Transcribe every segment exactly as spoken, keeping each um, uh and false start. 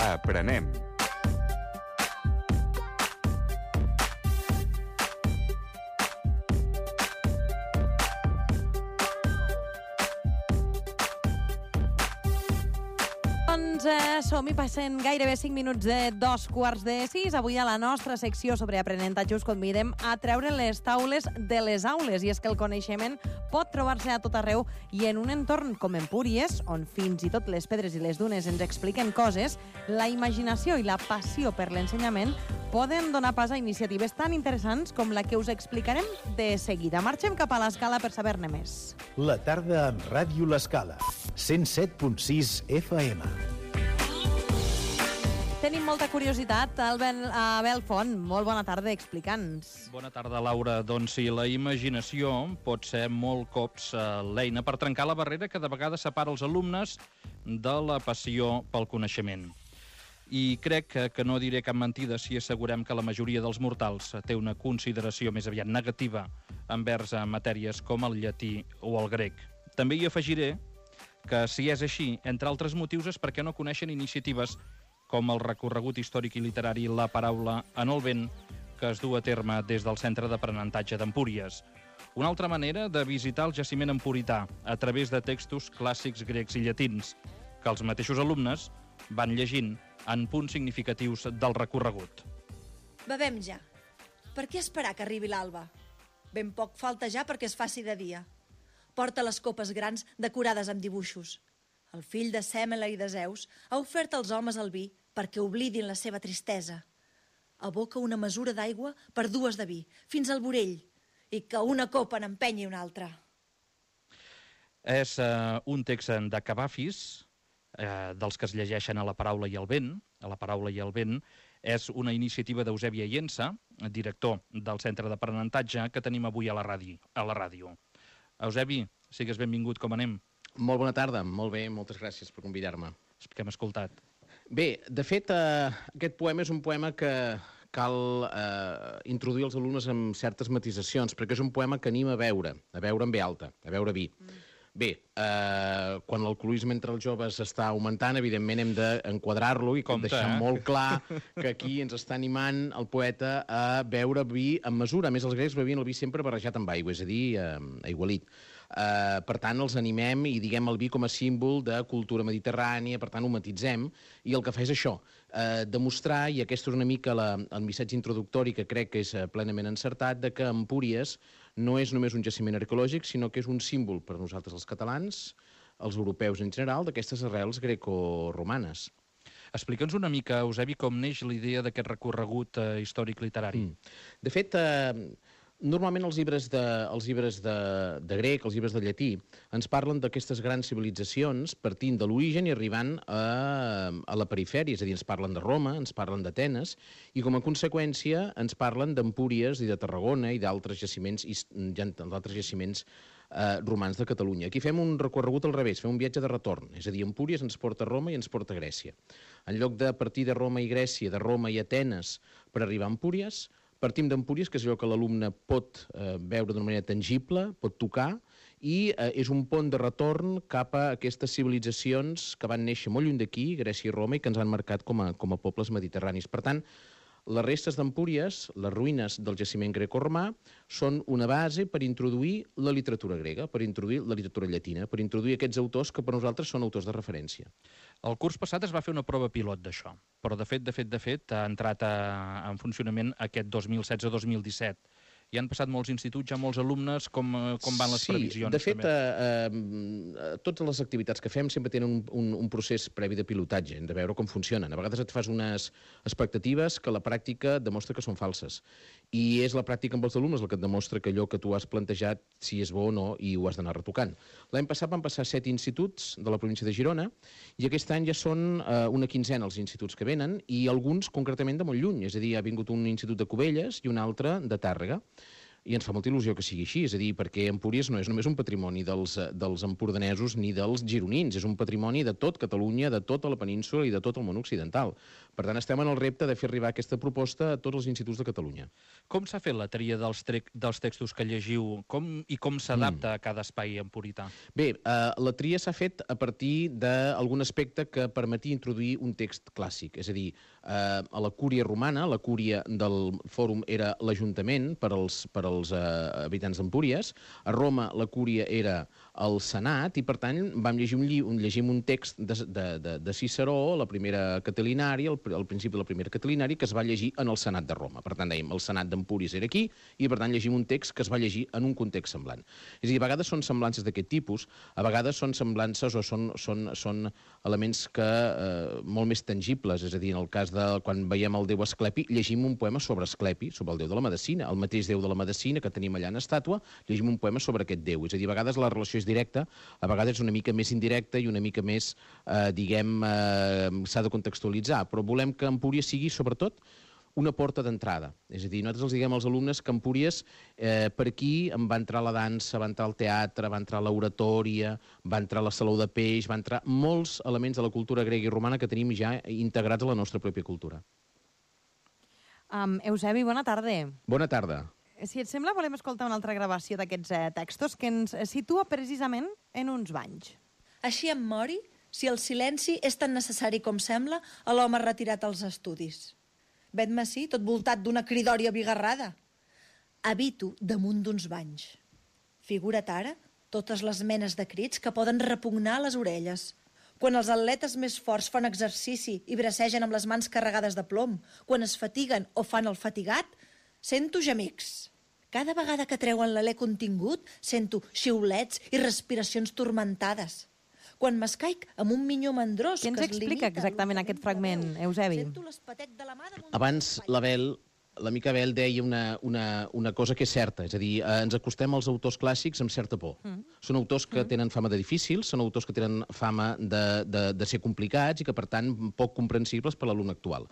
Aprenem. Doncs eh, som-hi, passen gairebé cinc minuts de dos quarts de sis. Avui a la nostra secció sobre aprenentatge us convidem a treure les taules de les aules. I és que el coneixement pot trobar-se a tot arreu i en un entorn com Empúries, on fins i tot les pedres i les dunes ens expliquen coses, la imaginació i la passió per l'ensenyament poden donar pas a iniciatives tan interessants com la que us explicarem de seguida. Marxem cap a l'Escala per saber-ne més. La tarda amb Ràdio L'Escala, cent set punt sis F M. Tenim molta curiositat. Albert Abel Font, molt bona tarda, explica'ns. Bona tarda, Laura. Doncs sí, la imaginació pot ser molt cops l'eina per trencar la barrera que de vegades separa els alumnes de la passió pel coneixement. I crec que, que no diré cap mentida si assegurem que la majoria dels mortals té una consideració més aviat negativa envers a matèries com el llatí o el grec. També hi afegiré que, si és així, entre altres motius és perquè no coneixen iniciatives com el recorregut històric i literari La paraula en el vent, que es du a terme des del Centre d'Aprenentatge d'Empúries. Una altra manera de visitar el jaciment empurità a través de textos clàssics grecs i llatins, que els mateixos alumnes van llegint en punts significatius del recorregut. Bevem ja. Per què esperar que arribi l'alba? Ben poc falta ja perquè es faci de dia. Porta les copes grans decorades amb dibuixos. El fill de Sèmele i de Zeus ha ofert als homes el vi perquè oblidin la seva tristesa. Aboca una mesura d'aigua per dues de vi, fins al vorell, i que una copa n'empenyi una altra. És eh, un text de Cavafis, eh, dels que es llegeixen a La paraula i el vent. A La paraula i el vent és una iniciativa d'Eusebi Aiensa, director del Centre d'Aprenentatge, que tenim avui a la ràdio. A la ràdio. Eusebi, sigues benvingut, com anem? Molt bona tarda, molt bé, moltes gràcies per convidar-me. Que hem escoltat. Bé, de fet, eh, aquest poema és un poema que cal eh, introduir els alumnes amb certes matisacions, perquè és un poema que anima a beure, a beure en ve alta, a beure vi. Mm. Bé, eh, quan l'alcoholisme entre els joves està augmentant, evidentment hem d'enquadrar-lo i com deixar eh? molt clar que aquí ens està animant el poeta a beure vi amb mesura. A més, els grecs bevien el vi sempre barrejat amb aigua, és a dir, eh, aigualit. Uh, per tant, els animem i diguem el vi com a símbol de cultura mediterrània, per tant, ho matitzem, i el que fa és això, uh, demostrar, i aquesta és una mica la, el missatge introductori que crec que és uh, plenament encertat, de que Empúries no és només un jaciment arqueològic, sinó que és un símbol per nosaltres els catalans, els europeus en general, d'aquestes arrels greco-romanes. Explica'ns una mica, Eusebi, com neix la idea d'aquest recorregut uh, històric literari. Mm. De fet, uh, normalment els llibres, de, els llibres de, de grec, els llibres de llatí, ens parlen d'aquestes grans civilitzacions partint de l'origen i arribant a, a la perifèria, és a dir, ens parlen de Roma, ens parlen d'Atenes, i com a conseqüència ens parlen d'Empúries i de Tarragona i d'altres jaciments, d'altres jaciments eh, romans de Catalunya. Aquí fem un recorregut al revés, fem un viatge de retorn, és a dir, Empúries ens porta a Roma i ens porta a Grècia. En lloc de partir de Roma i Grècia, de Roma i Atenes per arribar a Empúries, partim d'Empúries, que és allò que l'alumne pot eh, veure d'una manera tangible, pot tocar, i eh, és un pont de retorn cap a aquestes civilitzacions que van néixer molt lluny d'aquí, Grècia i Roma, i que ens han marcat com a, com a pobles mediterranis. Per tant, les restes d'Empúries, les ruïnes del jaciment greco-romà, són una base per introduir la literatura grega, per introduir la literatura llatina, per introduir aquests autors que per nosaltres són autors de referència. El curs passat es va fer una prova pilot d'això, però de fet, de fet, de fet, ha entrat a, en funcionament aquest dos mil setze dos mil disset. Hi han passat molts instituts, ja molts alumnes, com, com van les sí, previsions? Sí, de fet, eh, eh, totes les activitats que fem sempre tenen un, un, un procés previ de pilotatge, hem de veure com funcionen. A vegades et fas unes expectatives que la pràctica demostra que són falses. I és la pràctica amb els alumnes el que et demostra que allò que tu has plantejat, si és bo o no, i ho has d'anar retocant. L'any passat van passar set instituts de la província de Girona, i aquest any ja són eh, una quinzena els instituts que venen, i alguns concretament de molt lluny, és a dir, ha vingut un institut de Cubelles i un altre de Tàrrega. i ens fa molta il·lusió que sigui així, és a dir, perquè Empúries no és només un patrimoni dels, dels empordanesos ni dels gironins, és un patrimoni de tot Catalunya, de tota la península i de tot el món occidental. Per tant, estem en el repte de fer arribar aquesta proposta a tots els instituts de Catalunya. Com s'ha fet la tria dels, dels textos que llegiu com, i com s'adapta mm. a cada espai empurità? Bé, eh, la tria s'ha fet a partir d'algun aspecte que permetia introduir un text clàssic, és a dir, eh, a la cúria romana, la cúria del fòrum era l'Ajuntament per als, per als els uh, habitants d'Empúries. A Roma la cúria era el Senat i, per tant, vam llegir un, lli un, llegim un text de, de, de, de Ciceró, la primera Catilinària, el, el principi de la primera Catilinària, que es va llegir en el Senat de Roma. Per tant, dèiem, el Senat d'Empúries era aquí i, per tant, llegim un text que es va llegir en un context semblant. És a dir, a vegades són semblances d'aquest tipus, a vegades són semblances o són, són, són elements que, eh, molt més tangibles, és a dir, en el cas de quan veiem el déu Asclepi, llegim un poema sobre Asclepi, sobre el déu de la medicina, el mateix déu de la medicina que tenim allà en estàtua, llegim un poema sobre aquest déu. És a dir, a vegades la relació és directa, a vegades és una mica més indirecta i una mica més, eh, diguem, eh, s'ha de contextualitzar, però volem que Empúries sigui, sobretot, una porta d'entrada. És a dir, nosaltres els diguem als alumnes que Empúries, eh, per aquí en va entrar la dansa, va entrar el teatre, va entrar l'oratòria, va entrar la saló de peix, va entrar molts elements de la cultura grega i romana que tenim ja integrats a la nostra pròpia cultura. Um, Eusebi, bona tarda. Bona tarda. Si et sembla, volem escoltar una altra gravació d'aquests eh, textos que ens situa precisament en uns banys. Així em mori, si el silenci és tan necessari com sembla a l'home retirat als estudis. Vet-me ací, tot voltat d'una cridòria bigarrada. Habito damunt d'uns banys. Figura't ara totes les menes de crits que poden repugnar les orelles. Quan els atletes més forts fan exercici i bracegen amb les mans carregades de plom, quan es fatiguen o fan el fatigat, sento gemics. Cada vegada que treuen l'alè contingut, sento xiulets i respiracions tormentades. Quan m'escaic amb un minyó mandrós que es limita... Què ens explica exactament aquest fragment, Eusebi? Abans l'Abel, l'amic Abel deia una, una, una cosa que és certa, és a dir, eh, ens acostem als autors clàssics amb certa por. Mm. Són autors que mm. tenen fama de difícils, són autors que tenen fama de, de, de ser complicats i que, per tant, poc comprensibles per l'alumne actual.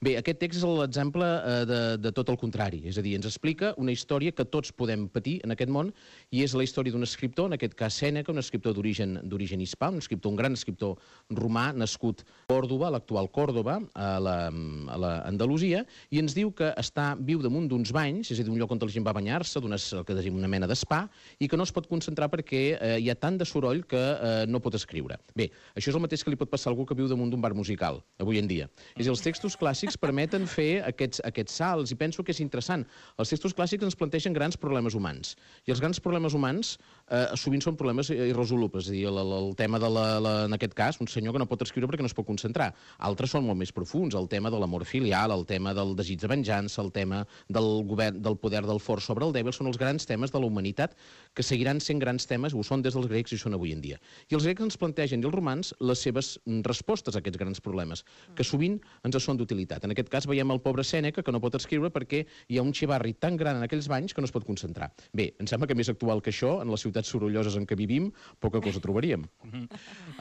Bé, aquest text és l'exemple eh, de, de tot el contrari, és a dir, ens explica una història que tots podem patir en aquest món i és la història d'un escriptor, en aquest cas Sèneca, un escriptor d'origen hispà, un escriptor, un gran escriptor romà, nascut a Còrdova, l'actual Còrdova, a la, a la Andalusia, i ens diu que està viu damunt d'uns banys, és a dir, un lloc on la gent va banyar-se, una mena d'espa, i que no es pot concentrar perquè eh, hi ha tant de soroll que eh, no pot escriure. Bé, això és el mateix que li pot passar a algú que viu damunt d'un bar musical, avui en dia. És a dir, els textos clàssics permeten fer aquests, aquests salts, i penso que és interessant. Els textos clàssics ens plantegen grans problemes humans, i els grans problemes humans eh, sovint són problemes irresolubles, és a dir, el, el tema de la, la, en aquest cas, un senyor que no pot escriure perquè no es pot concentrar. Altres són molt més profuns, el tema de l'amor filial, el tema del desig de venjança, el tema del govern, del poder del fort sobre el dèbil, són els grans temes de la humanitat que seguiran sent grans temes, ho són des dels grecs i són avui en dia. I els grecs ens plantegen, i els romans, les seves respostes a aquests grans problemes, que sovint ens són d'utilitat. En aquest cas veiem el pobre Sèneca que no pot escriure perquè hi ha un xivarri tan gran en aquells banys que no es pot concentrar. Bé, em sembla que més actual que això, en les ciutats sorolloses en què vivim, poca cosa trobaríem.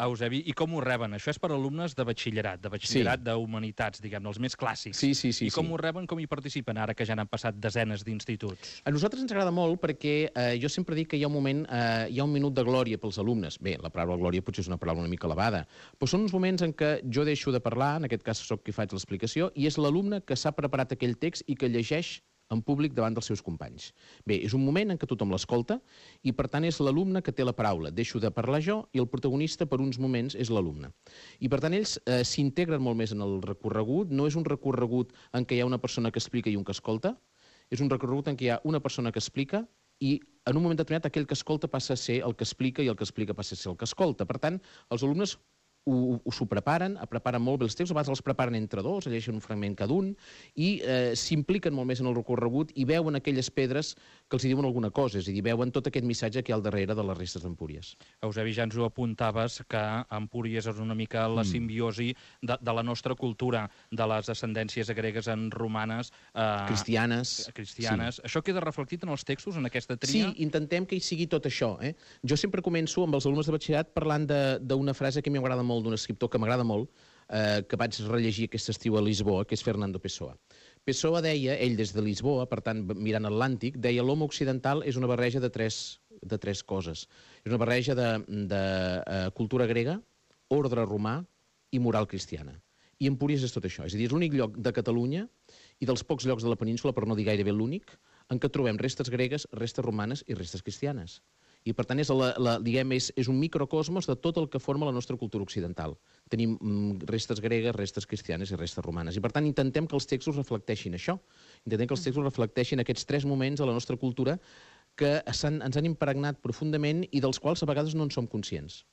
Eusebi, i com ho reben? Això és per alumnes de batxillerat, de batxillerat sí. d'humanitats, diguem-ne, els més clàssics. Sí, sí, sí. I com sí. ho reben, com hi participen ara que ja n'han passat desenes d'instituts? A nosaltres ens agrada molt perquè eh, jo sempre dic que hi ha un moment, eh, hi ha un minut de glòria pels alumnes. Bé, la paraula glòria potser és una paraula una mica elevada, però són uns moments en què jo deixo de parlar, en aquest cas soc qui faig l'explicació, i és l'alumne que s'ha preparat aquell text i que llegeix en públic davant dels seus companys. Bé, és un moment en què tothom l'escolta i, per tant, és l'alumne que té la paraula. Deixo de parlar jo i el protagonista, per uns moments, és l'alumne. I, per tant, ells eh, s'integren molt més en el recorregut. No és un recorregut en què hi ha una persona que explica i un que escolta. És un recorregut en què hi ha una persona que explica i, en un moment determinat, aquell que escolta passa a ser el que explica i el que explica passa a ser el que escolta. Per tant, els alumnes s'ho preparen, preparen molt bé els textos, a vegades els preparen entre dos, llegeixen un fragment cada un, i eh, s'impliquen molt més en el recorregut i veuen aquelles pedres que els diuen alguna cosa, és a dir, veuen tot aquest missatge que hi ha al darrere de les restes d'Empúries. Eusebi, ja ens ho apuntaves, que Empúries és una mica la simbiosi de, de la nostra cultura, de les ascendències gregues en romanes... Eh, cristianes. Cristianes. Sí. Això queda reflectit en els textos, en aquesta tria? Sí, intentem que hi sigui tot això. Eh? Jo sempre començo amb els alumnes de batxillerat parlant d'una frase que m'agrada molt d'un escriptor que m'agrada molt, eh, que vaig rellegir aquest estiu a Lisboa, que és Fernando Pessoa. Pessoa deia, ell des de Lisboa, per tant, mirant Atlàntic, deia l'home occidental és una barreja de tres, de tres coses. És una barreja de, de uh, cultura grega, ordre romà i moral cristiana. I Empúries és tot això. És a dir, és l'únic lloc de Catalunya i dels pocs llocs de la península, per no dir gairebé l'únic, en què trobem restes gregues, restes romanes i restes cristianes. I, per tant, és, la, la, diguem, és, és un microcosmos de tot el que forma la nostra cultura occidental. Tenim mm, restes gregues, restes cristianes i restes romanes. I, per tant, intentem que els textos reflecteixin això. Intentem que els textos reflecteixin aquests tres moments de la nostra cultura que han, ens han impregnat profundament i dels quals a vegades no en som conscients.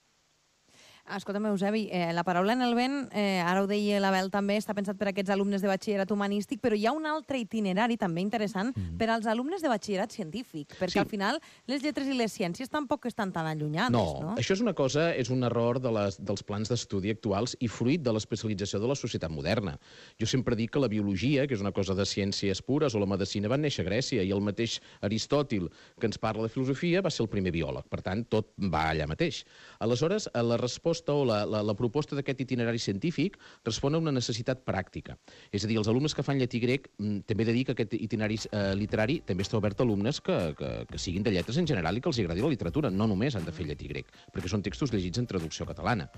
Escolta'm, Eusebi, eh, la paraula en el vent, eh, ara ho deia l'Abel també, està pensat per a aquests alumnes de batxillerat humanístic, però hi ha un altre itinerari també interessant mm. per als alumnes de batxillerat científic, perquè sí. al final les lletres i les ciències tampoc estan tan allunyades, no? No, això és una cosa, és un error de les, dels plans d'estudi actuals i fruit de l'especialització de la societat moderna. Jo sempre dic que la biologia, que és una cosa de ciències pures, o la medicina van néixer a Grècia, i el mateix Aristòtil, que ens parla de filosofia, va ser el primer biòleg. Per tant, tot va allà mateix. Aleshores, la resposta o la, la, la proposta d'aquest itinerari científic respon a una necessitat pràctica. És a dir, els alumnes que fan llatí grec, també he de dir que aquest itinerari eh, literari també està obert a alumnes que, que, que siguin de lletres en general i que els agradi la literatura. No només han de fer llatí grec, perquè són textos llegits en traducció catalana.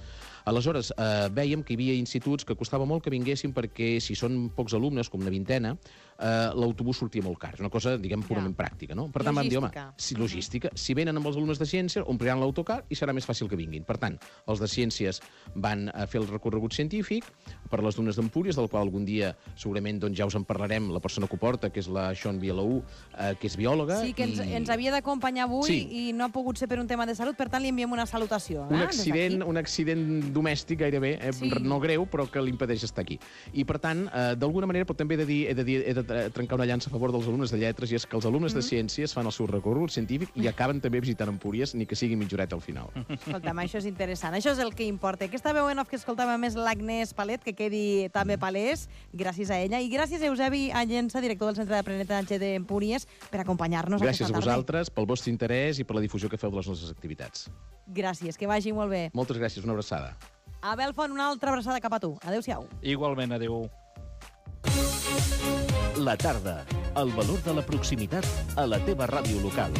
Aleshores, eh, vèiem que hi havia instituts que costava molt que vinguessin perquè, si són pocs alumnes, com una vintena, eh, l'autobús sortia molt car. És una cosa, diguem, purament ja. pràctica, no? Per tant, vam dir, home, si, logística. Si venen amb els alumnes de ciència, ompliran l'autocar i serà més fàcil que vinguin. Per tant, els de ciències van a fer el recorregut científic per les dunes d'Empúries, del qual algun dia segurament doncs, ja us en parlarem, la persona que ho porta, que és la Sean Vialaú, eh, que és biòloga. Sí, que ens, i... ens havia d'acompanyar avui sí. i no ha pogut ser per un tema de salut, per tant li enviem una salutació. Un eh? accident, un accident domèstic gairebé, eh, sí. no greu, però que l'impedeix estar aquí. I per tant, eh, d'alguna manera, però també he de dir, he de, dir, he de trencar una llança a favor dels alumnes de lletres, i és que els alumnes mm. de ciències fan el seu recorregut científic i acaben també visitant Empúries, ni que sigui mitja horeta al final. Escolta'm, això és interessant, això és el que importa. Aquesta veu en off que escoltàvem és l'Agnès Palet, que quedi també palès, gràcies a ella. I gràcies a Eusebi Allensa, director del Centre d'Aprenentatge d'Empúries, per acompanyar-nos aquesta tarda. Gràcies a vosaltres pel vostre interès i per la difusió que feu de les nostres activitats. Gràcies, que vagi molt bé. Moltes gràcies, una abraçada. Abel Font, una altra abraçada cap a tu. Adéu-siau. Igualment, adéu. La tarda, el valor de la proximitat a la teva ràdio local.